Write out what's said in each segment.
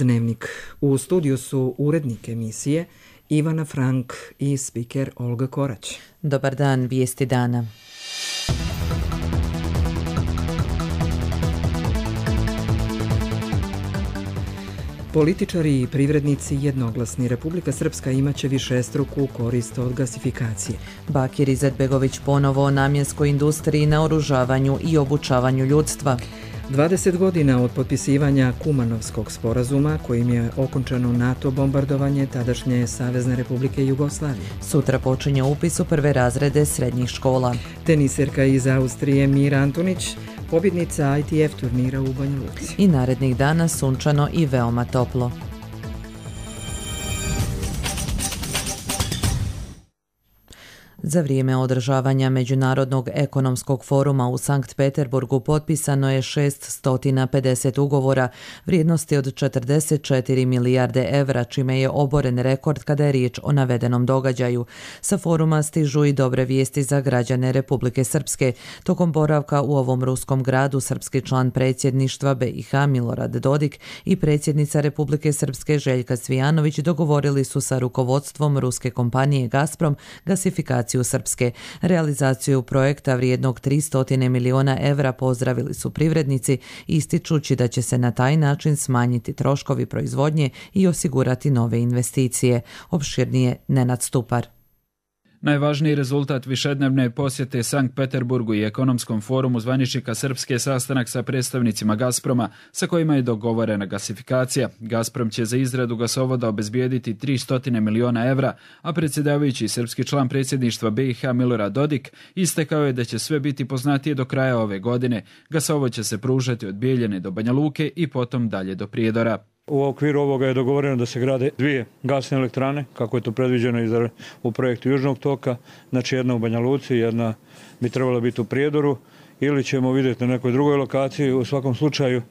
Dnevnik. U studiju su urednik emisije Ivana Frank i spiker Olga Korać. Dobar dan, vijesti dana. Političari i privrednici jednoglasni. Republika Srpska imaće višestruku korist od gasifikacije. Bakir Izetbegović ponovo o namjenskoj industriji, naoružavanju i obučavanju ljudstva. 20 godina od potpisivanja Kumanovskog sporazuma, kojim je okončano NATO bombardovanje tadašnje Savezne Republike Jugoslavije. Sutra počinje upis u prve razrede srednjih škola. Teniserka iz Austrije Mira Antunić, pobjednica ITF turnira u Banja Luci. I narednih dana sunčano i veoma toplo. Za vrijeme održavanja Međunarodnog ekonomskog foruma u Sankt Peterburgu potpisano je 650 ugovora vrijednosti od 44 milijarde evra, čime je oboren rekord kada je riječ o navedenom događaju. Sa foruma stižu i dobre vijesti za građane Republike Srpske. Tokom boravka u ovom ruskom gradu srpski član predsjedništva BiH Milorad Dodik i predsjednica Republike Srpske Željka Cvijanović dogovorili su sa rukovodstvom ruske kompanije Gazprom gasifikaciju Srpske. Realizaciju projekta vrijednog 300 milijuna evra pozdravili su privrednici, ističući da će se na taj način smanjiti troškovi proizvodnje i osigurati nove investicije. Opširnije Nenad Stupar. Najvažniji rezultat višednevne posjete Sankt Peterburgu i ekonomskom forumu zvaničnika Srpske sastanak sa predstavnicima Gazproma, sa kojima je dogovorena gasifikacija. Gazprom će za izradu gasovoda obezbijediti 300 milijuna evra, a predsjedavajući srpski član predsjedništva BiH Milorad Dodik istekao je da će sve biti poznatije do kraja ove godine. Gasovod će se pružati od Bijeljine do Banja Luke i potom dalje do Prijedora. U okviru ovoga je dogovoreno da se grade 2 gasne elektrane, kako je to predviđeno u projektu Južnog toka, znači jedna u Banja Luci, jedna bi trebala biti u Prijedoru, ili ćemo vidjeti na nekoj drugoj lokaciji. U svakom slučaju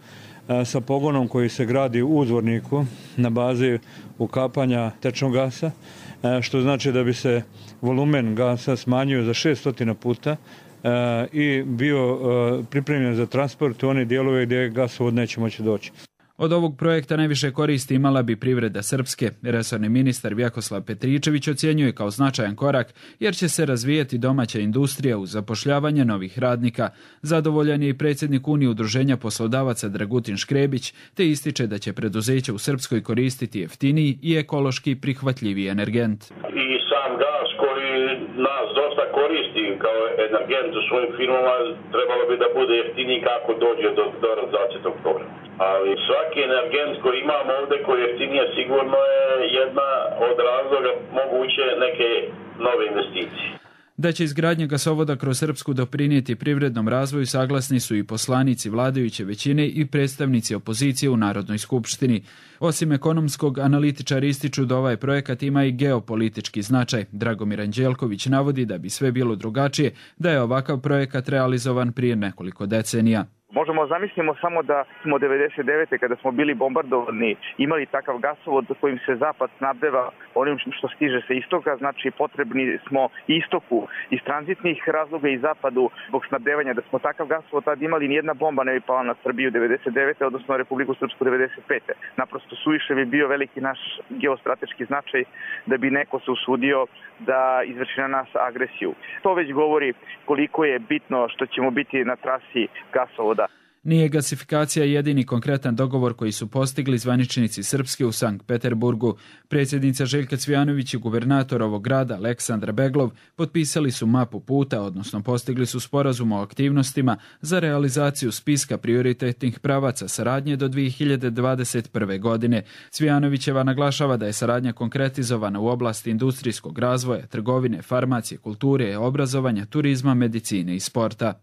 sa pogonom koji se gradi u Zvorniku na bazi ukapanja tečnog gasa, što znači da bi se volumen gasa smanjio za 600 puta i bio pripremljen za transport u one dijelove gdje gasovod neće moći doći. Od ovog projekta najviše koristi imala bi privreda Srpske. Resorni ministar Vjakoslav Petričević ocjenjuje kao značajan korak jer će se razvijati domaća industrija uz zapošljavanje novih radnika. Zadovoljan je i predsjednik Unije udruženja poslodavaca Dragutin Škrebić, te ističe da će preduzeće u Srpskoj koristiti jeftiniji i ekološki prihvatljiviji energent. I sam gas koji nas dosta koristi kao energent u svojim firmama trebalo bi da bude jeftiniji kako dođe do realizacije tog programa. Ali svaki energent koji imamo ovdje koji je jeftinije sigurno je jedna od razloga moguće neke nove investicije. Da će izgradnja gasovoda kroz Srpsku doprinijeti privrednom razvoju saglasni su i poslanici vladajuće većine i predstavnici opozicije u Narodnoj skupštini. Osim ekonomskog, analitičari ističu da ovaj projekat ima i geopolitički značaj. Dragomir Anđelković navodi da bi sve bilo drugačije da je ovakav projekat realizovan prije nekoliko decenija. Možemo zamislimo samo da smo 99. kada smo bili bombardovani imali takav gasovod kojim se zapad snabdeva onim što stiže sa istoka, znači potrebni smo istoku iz tranzitnih razloga i zapadu zbog snabdevanja. Da smo takav gasovod tad imali, nijedna bomba ne bi pala na Srbiju 99. odnosno Republiku Srpsku 95. Naprosto suviše bi bio veliki naš geostrateški značaj da bi neko se usudio da izvrši na nas agresiju. To već govori koliko je bitno što ćemo biti na trasi gasovoda. Nije gasifikacija jedini konkretan dogovor koji su postigli zvaničnici Srpske u Sankt Peterburgu. Predsjednica Željka Cvijanović i guvernator ovog grada Aleksandar Beglov potpisali su mapu puta, odnosno postigli su sporazum o aktivnostima za realizaciju spiska prioritetnih pravaca saradnje do 2021. godine. Cvijanovićeva naglašava da je saradnja konkretizovana u oblasti industrijskog razvoja, trgovine, farmacije, kulture, obrazovanja, turizma, medicine i sporta.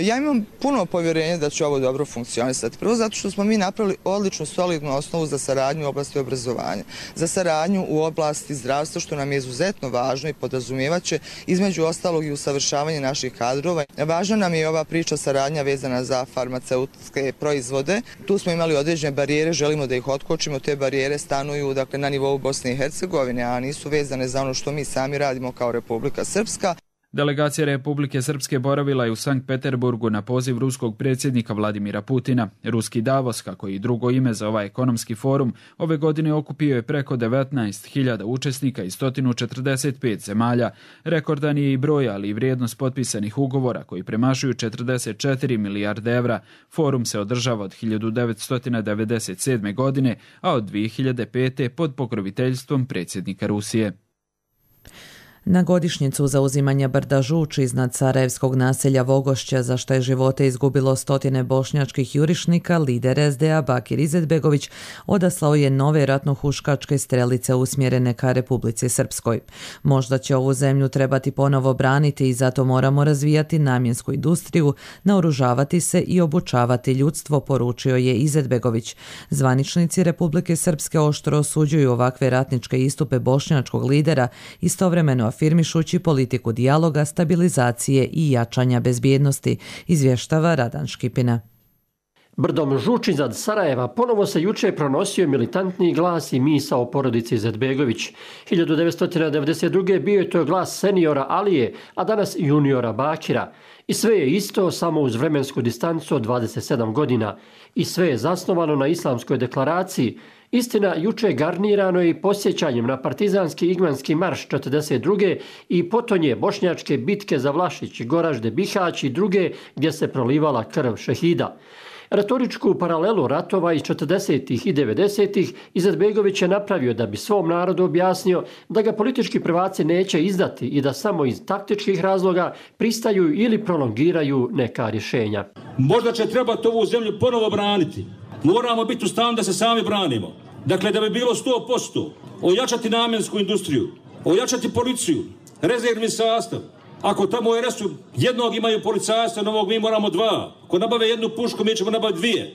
Ja imam puno povjerenja da će ovo dobro funkcionisati. Prvo zato što smo mi napravili odličnu, solidnu osnovu za saradnju u oblasti obrazovanja, za saradnju u oblasti zdravstva, što nam je izuzetno važno i podrazumijevaće između ostalog i usavršavanje naših kadrova. Važna nam je ova priča saradnja vezana za farmaceutske proizvode. Tu smo imali određene barijere, želimo da ih otkočimo. Te barijere stanuju na nivou Bosne i Hercegovine, a nisu vezane za ono što mi sami radimo kao Republika Srpska. Delegacija Republike Srpske boravila je u Sankt Peterburgu na poziv ruskog predsjednika Vladimira Putina. Ruski Davos, kako i drugo ime za ovaj ekonomski forum, ove godine okupio je preko 19.000 učesnika iz 145 zemalja. Rekordan je i broj, ali i vrijednost potpisanih ugovora koji premašuju 44 milijarde evra. Forum se održava od 1997. godine, a od 2005. pod pokroviteljstvom predsjednika Rusije. Na godišnjicu zauzimanja brda Žuč iznad sarajevskog naselja Vogošća, za što je živote izgubilo stotine bošnjačkih jurišnika, lider SDA Bakir Izetbegović odaslao je nove ratnohuškačke strelice usmjerene ka Republici Srpskoj. Možda će ovu zemlju trebati ponovo braniti i zato moramo razvijati namjensku industriju, naoružavati se i obučavati ljudstvo, poručio je Izetbegović. Zvaničnici Republike Srpske oštro osuđuju ovakve ratničke istupe bošnjačkog lidera, istovremeno afirmišući politiku dijaloga, stabilizacije i jačanja bezbjednosti, izvještava Radan Škipina. Brdom Žuč iznad Sarajeva ponovo se juče pronosio militantni glas i misao porodici Izetbegović. 1992. bio je to glas seniora Alije, a danas juniora Bakira. I sve je isto, samo uz vremensku distancu od 27 godina. I sve je zasnovano na islamskoj deklaraciji. Istina, juče garnirano je i posjećanjem na partizanski igmanski marš 42. i potonje bošnjačke bitke za Vlašić, Goražde, Bihać i druge gdje se prolivala krv šehida. Retoričku paralelu ratova iz 40. i 90. Izetbegović je napravio da bi svom narodu objasnio da ga politički prvaci neće izdati i da samo iz taktičkih razloga pristaju ili prolongiraju neka rješenja. Možda će trebati ovu zemlju ponovo braniti. Moramo biti u stanju da se sami branimo. Dakle, da bi bilo 100%, ojačati namjensku industriju, ojačati policiju, rezervni sastav. Ako tamo u RS-u jednog imaju policajstva, novog mi moramo 2. Ako nabave jednu pušku, mi ćemo nabaviti 2.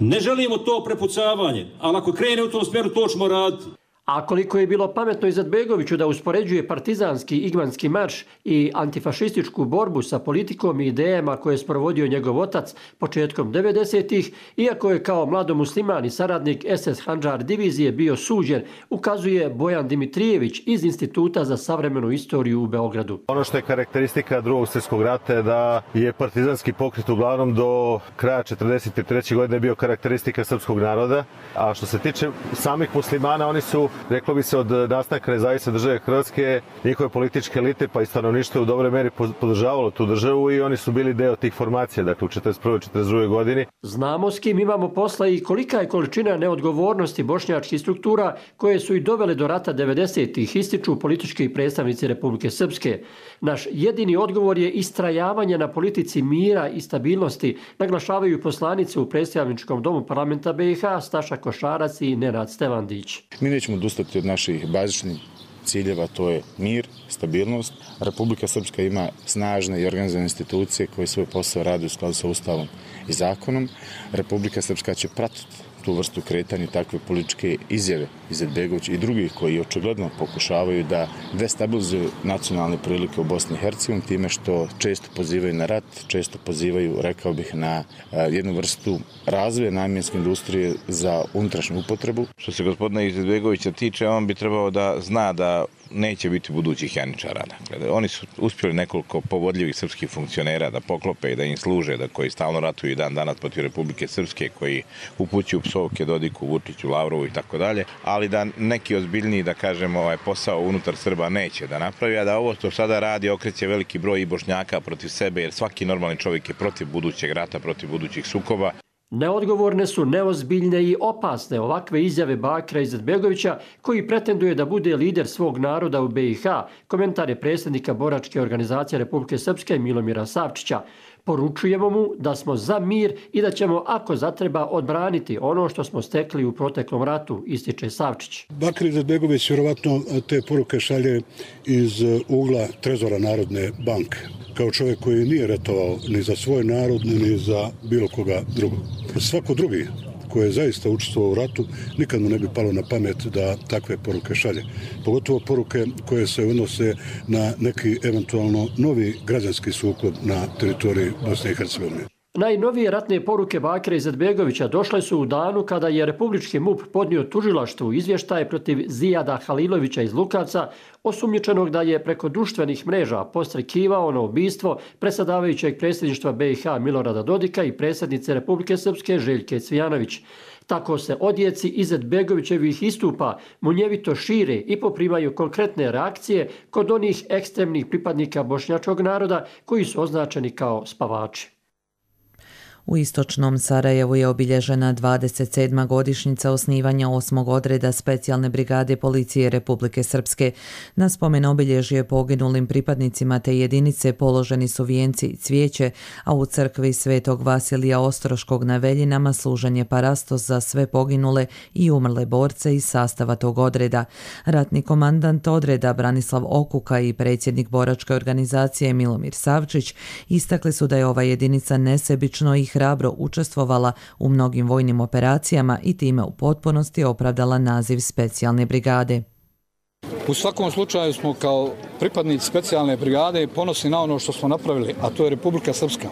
Ne želimo to prepucavanje, ali ako krene u tom smjeru, to ćemo raditi. A koliko je bilo pametno Izetbegoviću da uspoređuje partizanski igmanski marš i antifašističku borbu sa politikom i idejama koje je sprovodio njegov otac početkom 90-ih, iako je kao mladomusliman i saradnik SS Handžar divizije bio suđen, ukazuje Bojan Dimitrijević iz Instituta za savremenu istoriju u Beogradu. Ono što je karakteristika Drugog svjetskog rata je da je partizanski pokret uglavnom do kraja 1943. godine bio karakteristika srpskog naroda, a što se tiče samih muslimana, oni su, reklo bi se, od nastanka nezavisne države Hrvatske, njihove političke elite pa i stanovništvo u dobroj meri podržavalo tu državu i oni su bili deo tih formacija, dakle u 1941. i 1942. godini. Znamo s kim imamo posla i kolika je količina neodgovornosti bošnjačkih struktura koje su i dovele do rata 90-ih, ističu politički predstavnici Republike Srpske. Naš jedini odgovor je istrajavanje na politici mira i stabilnosti, naglašavaju poslanice u predstavničkom domu parlamenta BiH Staša Košarac i Nenad Stevandić. Mi nećemo odustati od naših bazičnih ciljeva, to je mir, stabilnost. Republika Srpska ima snažne i organizovane institucije koje svoj posao rade u skladu sa Ustavom i zakonom. Republika Srpska će pratiti tu vrstu kretanja, takve političke izjave Izetbegovića i drugih koji očigledno pokušavaju da destabilizuju nacionalne prilike u Bosni i Hercegovini time što često pozivaju na rat, često pozivaju, rekao bih, na jednu vrstu razvoja namjenske industrije za unutrašnju upotrebu. Što se gospodina Izetbegovića tiče, on bi trebao da zna da neće biti budućih janičara. Oni su uspjeli nekoliko povodljivih srpskih funkcionera da poklope i da im služe, da koji stalno ratuju i dan danas protiv Republike Srpske, koji upućuju psovke Dodiku, Vučiću, Lavrovu i tako dalje, ali da neki ozbiljniji, da kažemo, posao unutar Srba neće da napravi, a da ovo što sada radi okreće veliki broj i Bošnjaka protiv sebe, jer svaki normalni čovjek je protiv budućeg rata, protiv budućih sukoba. Neodgovorne su, neozbiljne i opasne ovakve izjave Bakira Izetbegovića, koji pretenduje da bude lider svog naroda u BiH, komentar je predsjednika boračke organizacije Republike Srpske Milomira Savčića. Poručujemo mu da smo za mir i da ćemo, ako zatreba, odbraniti ono što smo stekli u proteklom ratu, ističe Savčić. Bakir Izetbegović vjerovatno te poruke šalje iz ugla trezora Narodne banke, kao čovjek koji nije ratovao ni za svoj narod, ni za bilo koga drugog. Svako drugi koji je zaista učestvovao u ratu, nikad mu ne bi palo na pamet da takve poruke šalje. Pogotovo poruke koje se odnose na neki eventualno novi građanski sukob na teritoriji Bosne i Hercegovine. Najnovije ratne poruke Bakira Izetbegovića došle su u danu kada je Republički MUP podnio tužilaštvu izvještaje protiv Zijada Halilovića iz Lukavca, osumnjičenog da je preko društvenih mreža podstrekivao na ubistvo predsjedavajućeg predsjedništva BiH Milorada Dodika i predsjednice Republike Srpske Željke Cvijanović. Tako se odjeci Izetbegovićevih istupa munjevito šire i poprimaju konkretne reakcije kod onih ekstremnih pripadnika bošnjačkog naroda koji su označeni kao spavači. U istočnom Sarajevu je obilježena 27. godišnjica osnivanja 8. odreda specijalne brigade policije Republike Srpske. Na spomen obilježje poginulim pripadnicima te jedinice položeni su vijenci i cvijeće, a u crkvi Svetog Vasilija Ostroškog na Veljinama služen je parastos za sve poginule i umrle borce iz sastava tog odreda. Ratni komandant odreda Branislav Okuka i predsjednik boračke organizacije Milomir Savčić istakli su da je ova jedinica nesebično i hrabro učestvovala u mnogim vojnim operacijama i time u potpunosti opravdala naziv specijalne brigade. U svakom slučaju smo kao pripadnici specijalne brigade ponosni na ono što smo napravili, a to je Republika Srpska.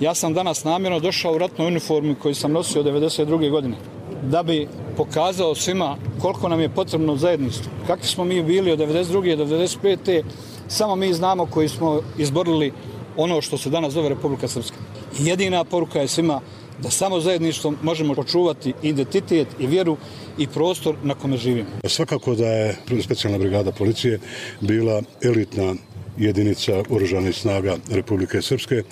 Ja sam danas namjerno došao u ratnoj uniformi koju sam nosio 1992. godine, da bi pokazao svima koliko nam je potrebno zajedništvo. Kakvi smo mi bili od 1992. do 1995. samo mi znamo koji smo izborili ono što se danas zove Republika Srpska. Jedina poruka je svima da samo zajedništvom možemo očuvati identitet i vjeru i prostor na kome živimo. Svakako da je specijalna brigada policije bila elitna jedinica oružanih snaga Republike Srpske,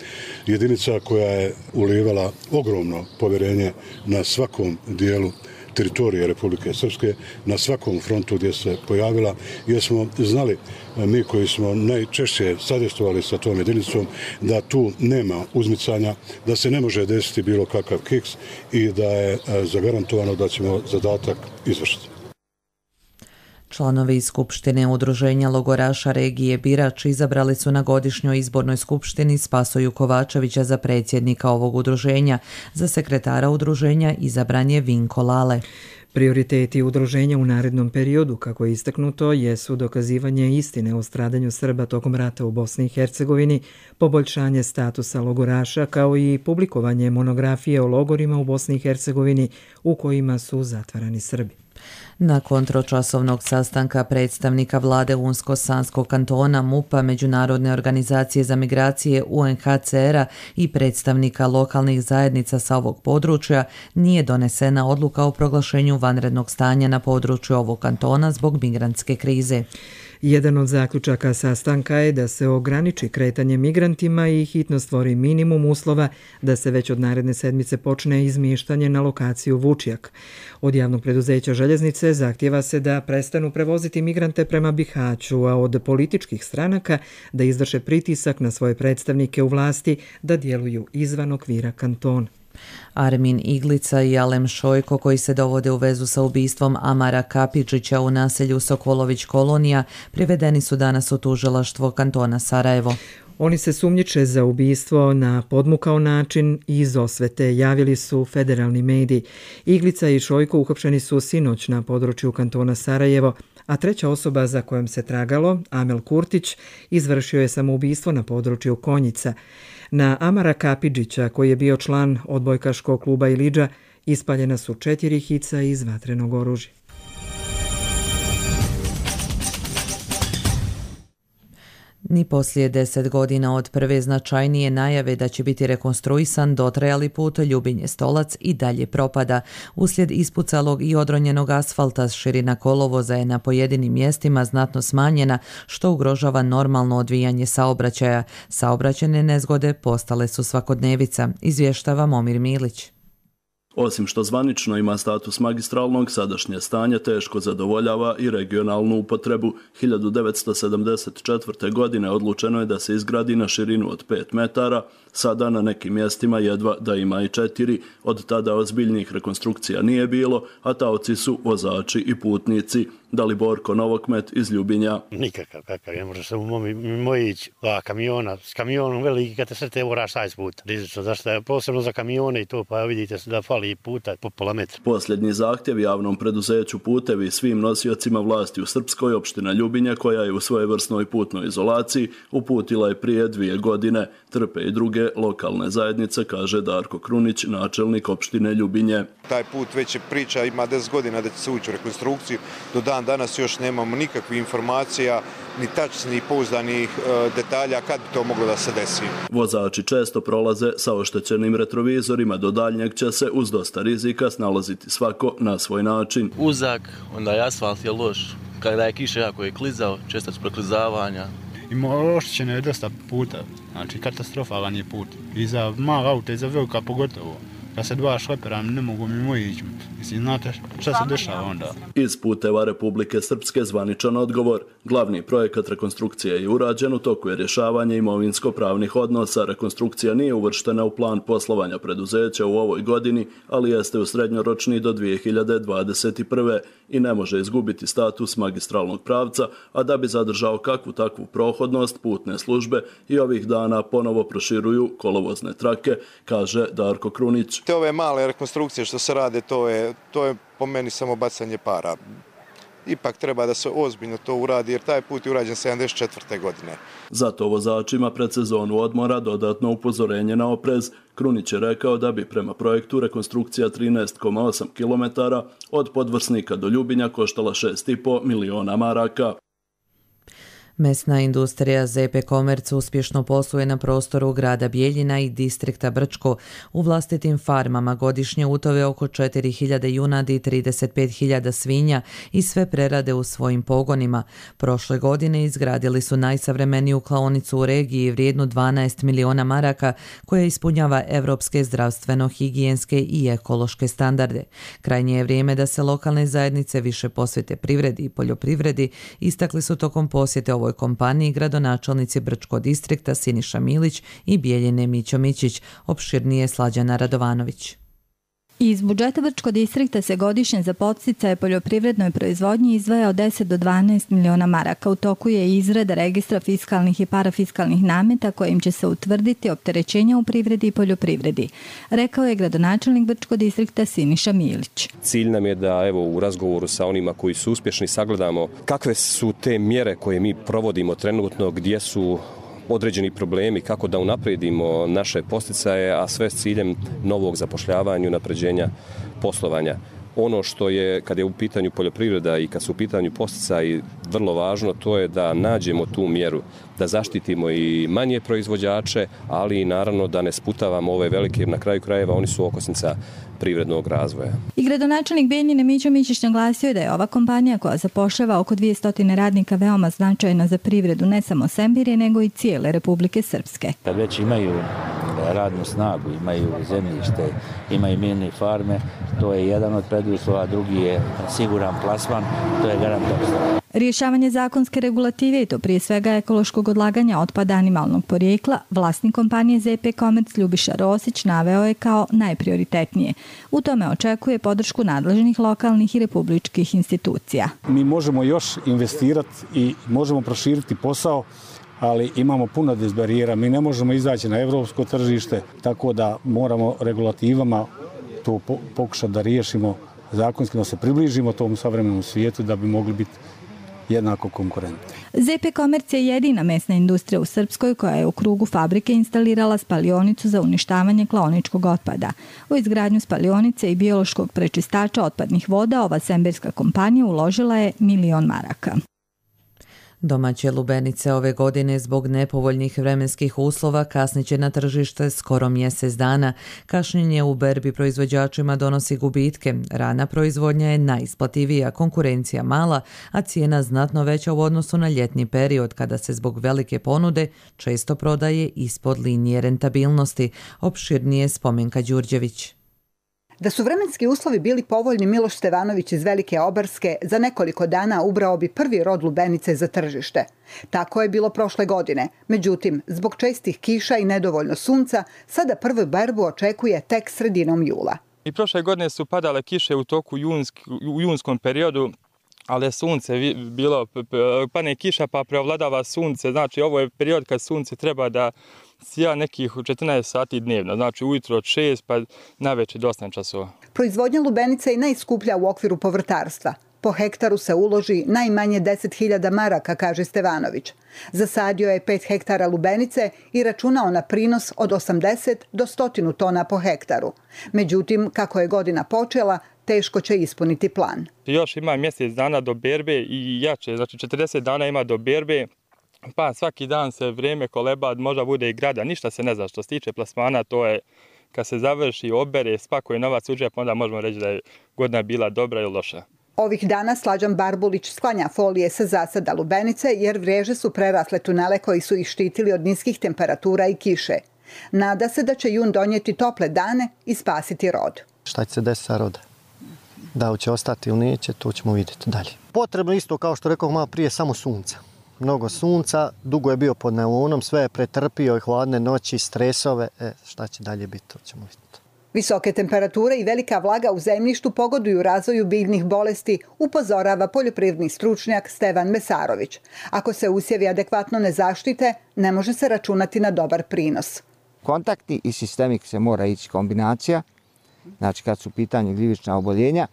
jedinica koja je ulijevala ogromno povjerenje na svakom dijelu teritorije Republike Srpske, na svakom frontu gdje se pojavila, jer smo znali, mi koji smo najčešće sadestovali sa tom jedinicom, da tu nema uzmicanja, da se ne može desiti bilo kakav kiks i da je zagarantovano da ćemo zadatak izvršiti. Članovi Skupštine Udruženja logoraša regije Birač izabrali su na godišnjoj izbornoj skupštini Spasoju Kovačevića za predsjednika ovog udruženja. Za sekretara udruženja izabran je Vinko Lale. Prioriteti udruženja u narednom periodu, kako je istaknuto, jesu dokazivanje istine o stradanju Srba tokom rata u Bosni i Hercegovini, poboljšanje statusa logoraša, kao i publikovanje monografije o logorima u Bosni i Hercegovini u kojima su zatvarani Srbi. Nakon tročasovnog sastanka predstavnika vlade Unsko-Sanskog kantona, MUP-a, Međunarodne organizacije za migracije UNHCR-a i predstavnika lokalnih zajednica sa ovog područja, nije donesena odluka o proglašenju vanrednog stanja na području ovog kantona zbog migrantske krize. Jedan od zaključaka sastanka je da se ograniči kretanje migrantima i hitno stvori minimum uslova da se već od naredne sedmice počne izmještanje na lokaciju Vučjak. Od javnog preduzeća Željeznice zahtjeva se da prestanu prevoziti migrante prema Bihaću, a od političkih stranaka da izvrše pritisak na svoje predstavnike u vlasti da djeluju izvan okvira kantona. Armin Iglica i Alem Šojko, koji se dovode u vezu sa ubistvom Amara Kapidžića u naselju Sokolović kolonija, privedeni su danas u tužilaštvo kantona Sarajevo. Oni se sumnjiče za ubistvo na podmukao način i iz osvete, javili su federalni mediji. Iglica i Šojko uhapšeni su sinoć na području kantona Sarajevo, a treća osoba za kojom se tragalo, Amel Kurtić, izvršio je samoubistvo na području Konjica. Na Amara Kapidžića, koji je bio član odbojkaškog kluba Ilidža, ispaljena su 4 hica iz vatrenog oružja. Ni poslije 10 godina od prve značajnije najave da će biti rekonstruisan, dotrajali put Ljubinje-Stolac i dalje propada. Uslijed ispucalog i odronjenog asfalta širina kolovoza je na pojedinim mjestima znatno smanjena, što ugrožava normalno odvijanje saobraćaja. Saobraćajne nezgode postale su svakodnevica, izvještava Momir Milić. Osim što zvanično ima status magistralnog, sadašnje stanje teško zadovoljava i regionalnu upotrebu. 1974. godine odlučeno je da se izgradi na širinu od 5 metara, sada na nekim mjestima jedva da ima i 4. Od tada ozbiljnih rekonstrukcija nije bilo, a taoci su vozači i putnici. Daliborko Novokmet iz Ljubinja. Nikakav, kakav, ne može se moj ići kamiona, s kamionom veliki kad te sve te moraš 6 puta. Rizično, zašto je posebno za kamione i to, pa vidite da fali puta po pola metra. Posljednji zahtjev javnom preduzeću Putevi svim nosiocima vlasti u Srpskoj, opština Ljubinja, koja je u svojevrsnoj putnoj izolaciji, uputila je prije 2 godine. Trpe i druge lokalne zajednice, kaže Darko Krunić, načelnik opštine Ljubinje. Taj put već je priča, ima 10 godina da će se ući u rekonstrukciju. Do dan danas još nemamo nikakvih informacija, ni tačnih, pouzdanih detalja kad bi to moglo da se desi. Vozači često prolaze sa oštećenim retrovizorima, do daljnjeg će se uz dosta rizika snalaziti svako na svoj način. Uzak, onda je asfalt je loš, kada je kiša jako je klizao, često su preklizavanja. Oštećeno je dosta puta, znači katastrofalan je put. I za mala auta i za velika pogotovo. Da se 2 šlepera ne mogu mimo ići. Mislim, znate šta se dešava onda? Iz Puteva Republike Srpske zvaničan odgovor. Glavni projekat rekonstrukcije je urađen, u toku je rješavanje imovinsko-pravnih odnosa. Rekonstrukcija nije uvrštena u plan poslovanja preduzeća u ovoj godini, ali jeste u srednjoročni do 2021. i ne može izgubiti status magistralnog pravca, a da bi zadržao kakvu takvu prohodnost, putne službe i ovih dana ponovo proširuju kolovozne trake, kaže Darko Krunić. Te ove male rekonstrukcije što se rade, to je po meni samo bacanje para. Ipak treba da se ozbiljno to uradi, jer taj put je urađen 74. godine. Zato vozačima pred sezonu odmora dodatno upozorenje na oprez. Krunić je rekao da bi prema projektu rekonstrukcija 13,8 km od Podvrsnika do Ljubinja koštala 6,5 miliona maraka. Mesna industrija ZP Komerc uspješno posluje na prostoru grada Bijeljina i distrikta Brčko. U vlastitim farmama godišnje utove oko 4.000 junadi i 35.000 svinja i sve prerade u svojim pogonima. Prošle godine izgradili su najsavremeniju klaonicu u regiji vrijednu 12 miliona maraka koja ispunjava evropske zdravstveno-higijenske i ekološke standarde. Krajnje je vrijeme da se lokalne zajednice više posvete privredi i poljoprivredi, istakli su tokom posjete ovoj kompaniji gradonačelnici Brčkog distrikta Siniša Milić i Bijeljine Mićo Mićić, opširnije Slađana Radovanović. Iz budžeta Brčkog distrikta se godišnje za podsticaje poljoprivrednoj proizvodnji izdvaja od 10 do 12 miliona maraka. U toku je izrada registra fiskalnih i parafiskalnih nameta kojim će se utvrditi opterećenja u privredi i poljoprivredi, rekao je gradonačelnik Brčkog distrikta Siniša Milić. Cilj nam je da u razgovoru sa onima koji su uspješni sagledamo kakve su te mjere koje mi provodimo trenutno, gdje su određeni problemi, kako da unaprijedimo naše podsticaje, a sve s ciljem novog zapošljavanja i unapređenja poslovanja. Ono što je, kad je u pitanju poljoprivreda i kad su u pitanju podsticaji, vrlo važno, to je da nađemo tu mjeru, da zaštitimo i manje proizvođače, ali i naravno da ne sputavamo ove velike, jer na kraju krajeva oni su okosnica privrednog razvoja. I gradonačelnik Bijeljine Mićo Mićić naglasio je da je ova kompanija koja zapošljava oko 200 radnika veoma značajna za privredu ne samo Sembirije, nego i cijele Republike Srpske. Kad već imaju radnu snagu, imaju zemljište, imaju mini farme, to je jedan od preduslova, drugi je siguran plasman, to je garant opstanka. Rješavanje zakonske regulative i to prije svega ekološkog odlaganja otpada animalnog porijekla, vlasnik kompanije ZP Komerc Ljubiša Rosić naveo je kao najprioritetnije. U tome očekuje podršku nadležnih lokalnih i republičkih institucija. Mi možemo još investirati i možemo proširiti posao, ali imamo puno dizbarijera. Mi ne možemo izaći na evropsko tržište, tako da moramo regulativama to pokušati da riješimo zakonski, da se približimo tom savremenom svijetu da bi mogli biti jednako konkurentni. ZP Komerc je jedina mesna industrija u Srpskoj koja je u krugu fabrike instalirala spalionicu za uništavanje klaoničkog otpada. U izgradnju spalionice i biološkog prečistača otpadnih voda ova sembirska kompanija uložila je 1 milion maraka. Domaće lubenice ove godine zbog nepovoljnih vremenskih uslova kasnit će na tržište skoro mjesec dana. Kašnjenje u berbi proizvođačima donosi gubitke. Rana proizvodnja je najisplativija, konkurencija mala, a cijena znatno veća u odnosu na ljetni period kada se zbog velike ponude često prodaje ispod linije rentabilnosti. Opširnije Spomenka Đurđević. Da su vremenski uslovi bili povoljni, Miloš Stevanović iz Velike Obarske za nekoliko dana ubrao bi prvi rod lubenice za tržište. Tako je bilo prošle godine. Međutim, zbog čestih kiša i nedovoljno sunca, sada prvu berbu očekuje tek sredinom jula. I prošle godine su padale kiše u toku u junskom periodu, ali je sunce bilo, pane kiša pa preovladava sunce, znači ovo je period kad sunce treba da sija nekih 14 sati dnevno, znači ujutro od 6 pa navečer do 8 časova. Proizvodnja lubenica je najskuplja u okviru povrtarstva. Po hektaru se uloži najmanje 10.000 maraka, kaže Stevanović. Zasadio je 5 hektara lubenice i računao na prinos od 80 do 100 tona po hektaru. Međutim, kako je godina počela, teško će ispuniti plan. Još ima mjesec dana do berbe i jače, znači 40 dana ima do berbe, pa svaki dan se vrijeme koleba, možda bude i grada, ništa se ne zna. Što se tiče plasmana, to je kad se završi, obere, spakuje novac u džep, onda možemo reći da je godina bila dobra ili loša. Ovih dana Slađan Barbulić sklanja folije sa zasada lubenice jer vreže su prerasle tunele koji su ih štitili od niskih temperatura i kiše. Nada se da će jun donijeti tople dane i spasiti rod. Šta će se desiti sa rodom? Da li će ostati ili neće, to ćemo vidjeti dalje. Potrebno isto, kao što rekao malo prije, samo sunca. Mnogo sunca, dugo je bio pod neonom, sve je pretrpio i hladne noći, stresove. Šta će dalje biti, to ćemo vidjeti. Visoke temperature i velika vlaga u zemljištu pogoduju razvoju biljnih bolesti, upozorava poljoprivredni stručnjak Stevan Mesarović. Ako se usjevi adekvatno ne zaštite, ne može se računati na dobar prinos. Kontaktni i sistemik se mora ići kombinacija, znači kad su u pitanju gljivična oboljenja.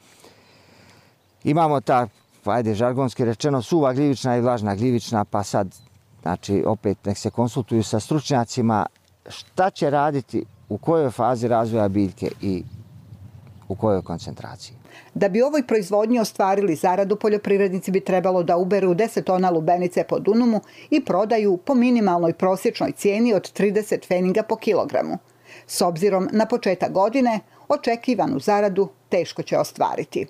Imamo ta, ajde žargonski rečeno, suva gljivična i vlažna gljivična, pa sad, znači opet nek se konsultuju sa stručnjacima šta će raditi, u kojoj fazi razvoja biljke i u kojoj koncentraciji. Da bi ovoj proizvodnji ostvarili zaradu, poljoprivrednici bi trebalo da uberu 10 tona lubenice po dunumu i prodaju po minimalnoj prosječnoj cijeni od 30 pfeniga po kilogramu. S obzirom na početak godine, očekivanu zaradu teško će ostvariti.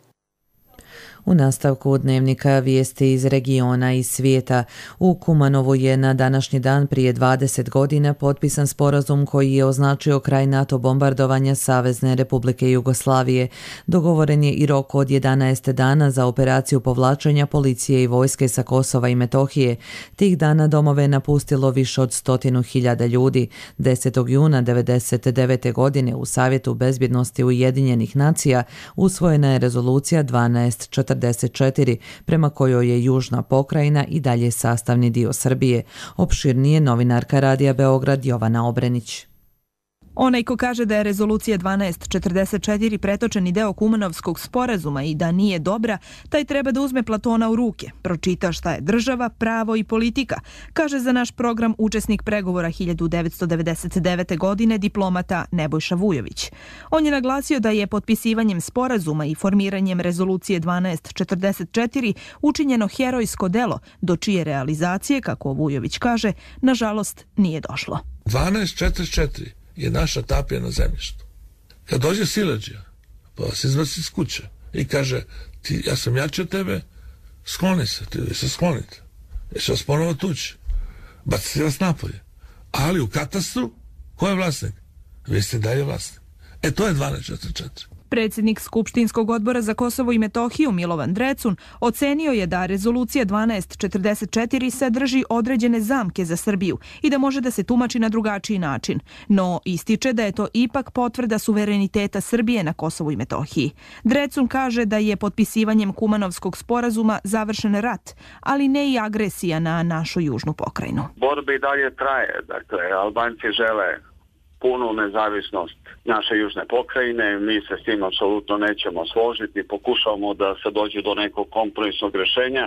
U nastavku dnevnika vijesti iz regiona i svijeta. U Kumanovu je na današnji dan prije 20 godina potpisan sporazum koji je označio kraj NATO bombardovanja Savezne Republike Jugoslavije. Dogovoren je i rok od 11 dana za operaciju povlačenja policije i vojske sa Kosova i Metohije. Tih dana domove napustilo više od 100.000 ljudi. 10. juna 1999. godine u Savjetu bezbjednosti Ujedinjenih nacija usvojena je rezolucija 1244 prema kojoj je južna pokrajina i dalje sastavni dio Srbije. Opširnije novinarka Radija Beograd Jovana Obrenić. Onaj ko kaže da je rezolucija 1244 pretočeni deo Kumanovskog sporazuma i da nije dobra, taj treba da uzme Platona u ruke, pročita šta je država, pravo i politika, kaže za naš program učesnik pregovora 1999. godine diplomata Nebojša Vujović. On je naglasio da je potpisivanjem sporazuma i formiranjem rezolucije 1244 učinjeno herojsko delo, do čije realizacije, kako Vujović kaže, nažalost nije došlo. 1244 je naša tapija na zemljištu. Kad dođe siledžija, pa vas izvrsi iz kuće i kaže, ja sam jači od tebe, skloni se, vi se sklonite. Ja ću vas ponovo tući. Bacite vas napolje. Ali u katastru, ko je vlasnik? Vi ste dalje vlasnik. To je 1244. Predsjednik Skupštinskog odbora za Kosovo i Metohiju Milovan Drecun ocenio je da rezolucija 1244 sadrži određene zamke za Srbiju i da može da se tumači na drugačiji način, no ističe da je to ipak potvrda suvereniteta Srbije na Kosovu i Metohiji. Drecun kaže da je potpisivanjem Kumanovskog sporazuma završen rat, ali ne i agresija na našu južnu pokrajinu. Borba i dalje traje, dakle, Albanci žele punu nezavisnost naše južne pokrajine, mi se s tim apsolutno nećemo složiti, pokušavamo da se dođe do nekog kompromisnog rješenja.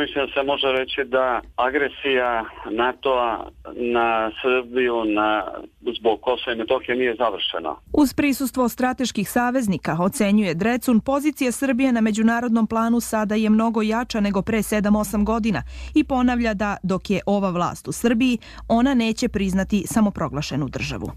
Mislim da se može reći da agresija NATO-a na Srbiju zbog Kosova i Metohije nije završena. Uz prisustvo strateških saveznika, ocenjuje Drecun, pozicija Srbije na međunarodnom planu sada je mnogo jača nego pre 7-8 godina i ponavlja da dok je ova vlast u Srbiji, ona neće priznati samoproglašenu državu.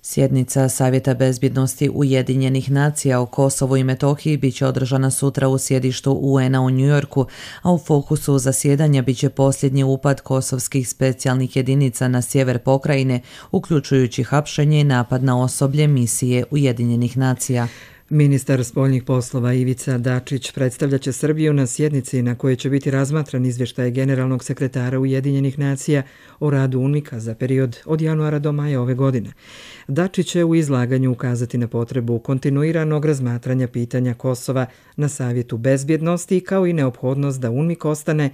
Sjednica Savjeta bezbjednosti Ujedinjenih nacija o Kosovu i Metohiji biće održana sutra u sjedištu UN-a u Njujorku, a u fokusu zasjedanja biće posljednji upad kosovskih specijalnih jedinica na sjever pokrajine, uključujući hapšenje i napad na osoblje misije Ujedinjenih nacija. Ministar spoljnih poslova Ivica Dačić predstavljaće Srbiju na sjednici na kojoj će biti razmatran izvještaj generalnog sekretara Ujedinjenih nacija o radu UNMIK-a za period od januara do maja ove godine. Dačić će u izlaganju ukazati na potrebu kontinuiranog razmatranja pitanja Kosova na Savjetu bezbjednosti kao i neophodnost da UNMIK ostane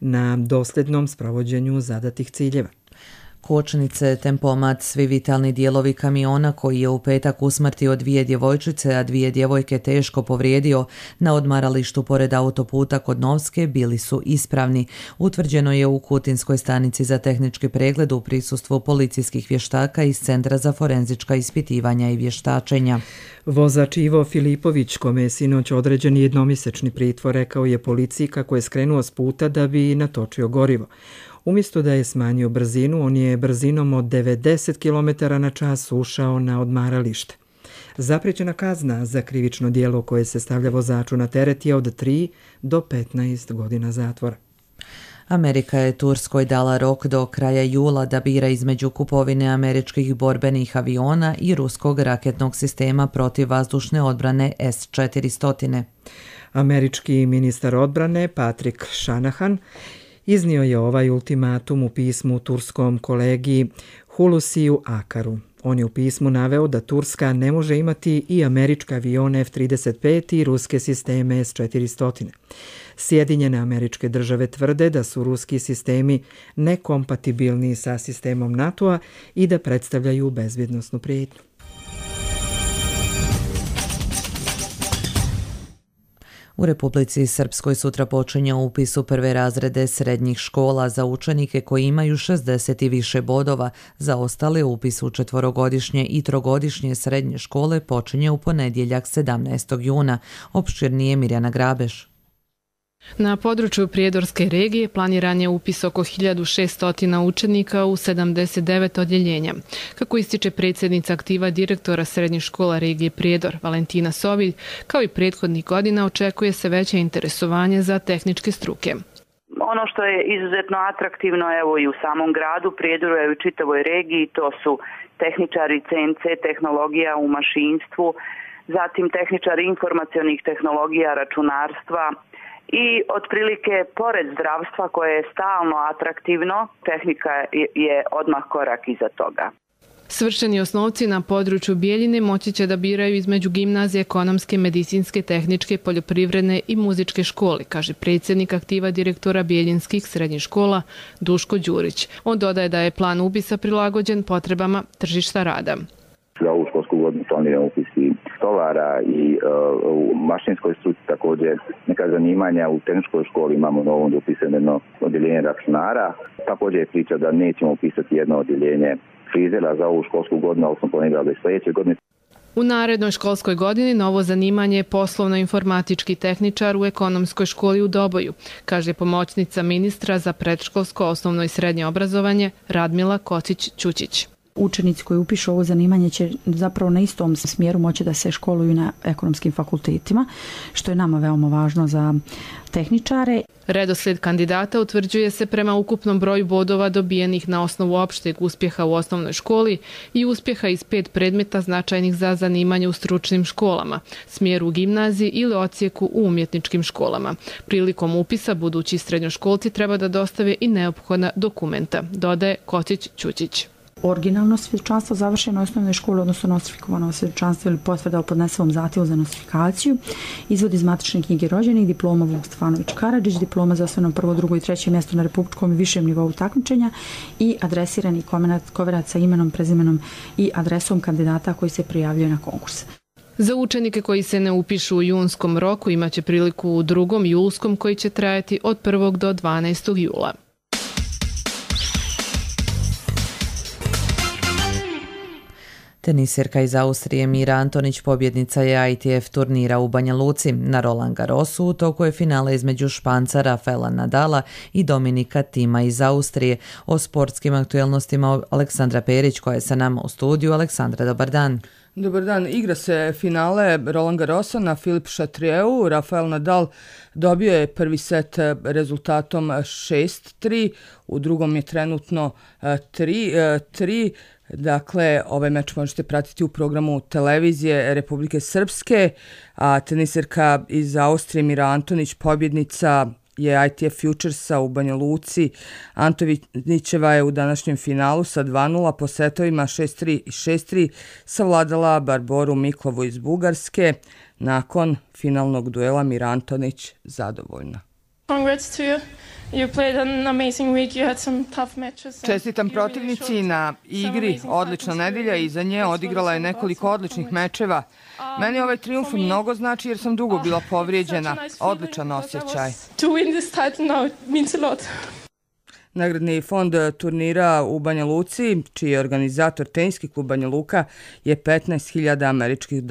na dosljednom sprovođenju zadatih ciljeva. Kočnice, tempomat, svi vitalni dijelovi kamiona koji je u petak usmrtio 2 djevojčice, a 2 djevojke teško povrijedio na odmaralištu pored autoputa kod Novske bili su ispravni. Utvrđeno je u Kutinskoj stanici za tehnički pregled u prisustvu policijskih vještaka iz Centra za forenzička ispitivanja i vještačenja. Vozač Ivo Filipović, kome je sinoć određen jednomjesečni pritvor, rekao je policiji kako je skrenuo s puta da bi natočio gorivo. Umjesto da je smanjio brzinu, on je brzinom od 90 km/h ušao na odmaralište. Zapriječena kazna za krivično djelo koje se stavlja vozaču na teret je od 3 do 15 godina zatvora. Amerika je Turskoj dala rok do kraja jula da bira između kupovine američkih borbenih aviona i ruskog raketnog sistema protivvazdušne odbrane S-400. Američki ministar odbrane Patrick Shanahan iznio je ovaj ultimatum u pismu turskom kolegi Hulusiju Akaru. On je u pismu naveo da Turska ne može imati i američke avione F-35 i ruske sisteme S-400. Sjedinjene Američke Države tvrde da su ruski sistemi nekompatibilni sa sistemom NATO-a i da predstavljaju bezbjednosnu prijetnju. U Republici Srpskoj sutra počinje upis u prve razrede srednjih škola za učenike koji imaju 60 i više bodova. Za ostale upis u 4-godišnje i 3-godišnje srednje škole počinje u ponedjeljak 17. juna. Opširnije Mirjana Grabeš. Na području Prijedorske regije planiran je upis oko 1600 učenika u 79 odjeljenja. Kako ističe predsjednica aktiva direktora srednjih škola regije Prijedor, Valentina Sovilj, kao i prethodnih godina očekuje se veće interesovanje za tehničke struke. Ono što je izuzetno atraktivno evo i u samom gradu Prijedoru i u čitavoj regiji, to su tehničari CNC tehnologija u mašinstvu, zatim tehničari informacionih tehnologija, računarstva, i otprilike pored zdravstva koje je stalno atraktivno, tehnika je odmah korak iza toga. Svršeni osnovci na području Bijeljine moći će da biraju između gimnazije, ekonomske, medicinske, tehničke, poljoprivredne i muzičke škole, kaže predsjednik aktiva direktora bijeljinskih srednjih škola Duško Đurić. On dodaje da je plan upisa prilagođen potrebama tržišta rada. Za ovu školsku godinu planiramo upisi stolara i u mašinskoj struci također neka zanimanja. U tehničkoj školi imamo novo upisano odjeljenje računara. Također je priča da nećemo upisati jedno odjeljenje frizera za ovu školsku godinu, ali smo planirali da sljedeće godine. U narednoj školskoj godini novo zanimanje je poslovno-informatički tehničar u ekonomskoj školi u Doboju, kaže pomoćnica ministra za predškolsko, osnovno i srednje obrazovanje Radmila Kocić-Ćućić. Učenici koji upišu ovo zanimanje će zapravo na istom smjeru moći da se školuju na ekonomskim fakultetima, što je nama veoma važno za tehničare. Redoslijed kandidata utvrđuje se prema ukupnom broju bodova dobijenih na osnovu opšteg uspjeha u osnovnoj školi i uspjeha iz 5 predmeta značajnih za zanimanje u stručnim školama, smjeru u gimnaziji ili odsjeku u umjetničkim školama. Prilikom upisa budući srednjoškolci treba da dostave i neophodna dokumenta, dodaje Kocić-Ćućić. Originalno svjedočanstvo završeno u osnovnoj školi, odnosno nostrifikovano svjedočanstvo ili potvrda o podnesenom zahtjevu za nostrifikaciju, izvod iz matične knjige rođenih, diploma Vuk Stefanović Karadžić, diploma za osnovno 1., 2. i 3. mjesto na republičkom i višem nivou takmičenja i adresirani koverat sa imenom, prezimenom i adresom kandidata koji se prijavljaju na konkurs. Za učenike koji se ne upišu u junskom roku imaće priliku u 2. julskom koji će trajati od 1. do 12. jula. Tenisirka iz Austrije Mira Antonić pobjednica je ITF turnira u Banja Luci. Na Roland Garrosu u toku je finale između Španca Rafaela Nadala i Dominika Tima iz Austrije. O sportskim aktuelnostima Aleksandra Perić koja je sa nama u studiju. Aleksandra, dobar dan. Dobar dan. Igra se finale Roland Garrosa na Philippe Chatrieu. Rafael Nadal dobio je prvi set rezultatom 6-3. U drugom je trenutno 3-3. Dakle, ovaj meč možete pratiti u programu televizije Republike Srpske, a teniserka iz Austrije Mira Antonić, pobjednica je ITF Futuresa u Banja Luci. Antonićeva je u današnjem finalu sa 2-0 po setovima 6-3 i 6-3 savladala Barboru Miklovu iz Bugarske. Nakon finalnog duela Mira Antonić zadovoljna. Congrats to you. You played an amazing week. You had some tough matches. Čestitam protivnici na igri. Odlična nedelja i za nje odigrala je nekoliko odličnih mečeva. Meni ovaj trijumf mnogo znači jer sam dugo bila povrijeđena. Odličan osjećaj. To win this title now means a lot. Nagradni fond turnira u Banja Luci, čiji je organizator Teniski klub Banja Luka, je $15.000 američkih.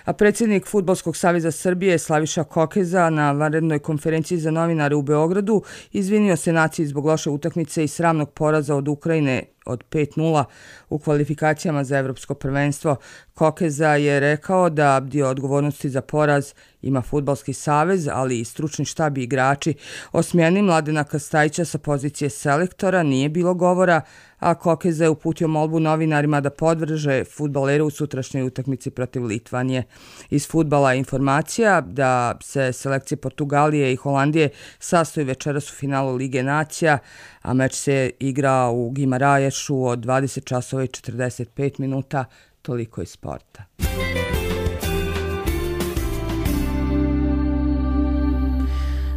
A predsjednik Fudbalskog saveza Srbije Slaviša Kokeza na vanrednoj konferenciji za novinare u Beogradu izvinio se naciji zbog loše utakmice i sramnog poraza od Ukrajine od 5-0 u kvalifikacijama za Evropsko prvenstvo. Kokeza je rekao da dio odgovornosti za poraz ima Fudbalski savez, ali i stručni štab i igrači. O smjeni Mladena Krstajića sa pozicije selektora nije bilo govora, a Kokeza je uputio molbu novinarima da podrže fudbalere u sutrašnjoj utakmici protiv Litvanije. Iz fudbala informacija da se selekcije Portugalije i Holandije sastoji večeras u finalu Lige nacija, a meč se igra u Gimaraješu od 20 časova i 45 minuta. Toliko iz sporta.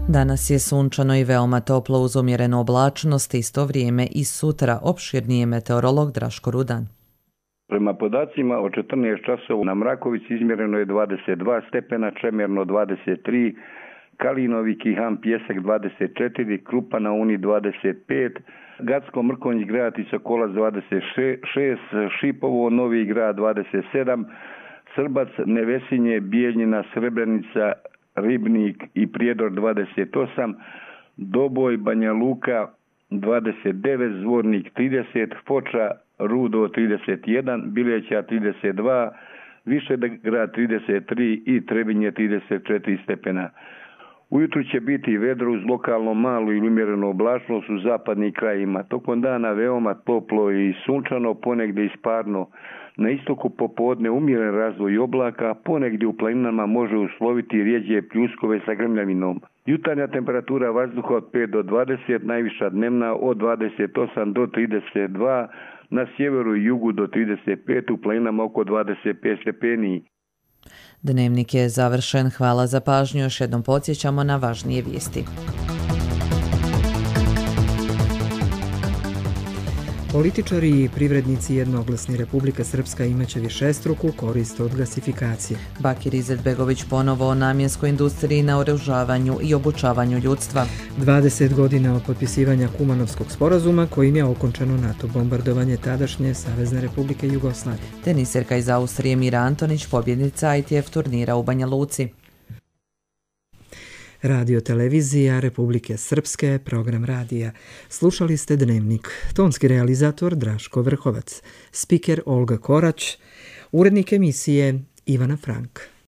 Danas je sunčano i veoma toplo uz umjerenu oblačnost, isto vrijeme i sutra. Opširnije meteorolog Draško Rudan. Prema podacima od 14 časova na Mrakovici izmjereno je 22 stepena, Čemerno 23, Kalinovi, Kihan, Pjesak 24, Krupa na Uni 25, Gacko, Mrkonjić, Greatica, Kolac 26, Šipovo, Novi Grad 27, Srbac, Nevesinje, Bijeljina, Srebrenica, Ribnik i Prijedor 28, Doboj, Banja Luka 29, Zvornik 30, Foča, Rudo 31, Bileća 32, Višegrad 33 i Trebinje 34 stepena. Ujutru će biti vedro uz lokalno malu ili umjerenu oblačnost u zapadnim krajima. Tokom dana veoma toplo i sunčano, ponegdje isparno. Na istoku popodne umjeren razvoj oblaka, ponegdje u planinama može usloviti rijeđe pljuskove sa grmljavinom. Jutarnja temperatura vazduha od 5 do 20, najviša dnevna od 28 do 32, na sjeveru i jugu do 35, u planinama oko 25 stepeni. Dnevnik je završen. Hvala za pažnju. Još jednom podsjećamo na važnije vijesti. Političari i privrednici jednoglasni Republika Srpska imaće višestruku korist od gasifikacije. Bakir Izetbegović ponovo o namjenskoj industriji, naoružavanju i obučavanju ljudstva. 20 godina od potpisivanja Kumanovskog sporazuma kojim je okončano NATO bombardovanje tadašnje Savezne Republike Jugoslavije. Teniserka iz Austrije Mira Antonić, pobjednica ITF turnira u Banja Luci. Radio televizija Republike Srpske, program radija. Slušali ste Dnevnik. Tonski realizator Draško Vrhovac. Spiker Olga Korać. Urednik emisije Ivana Frank.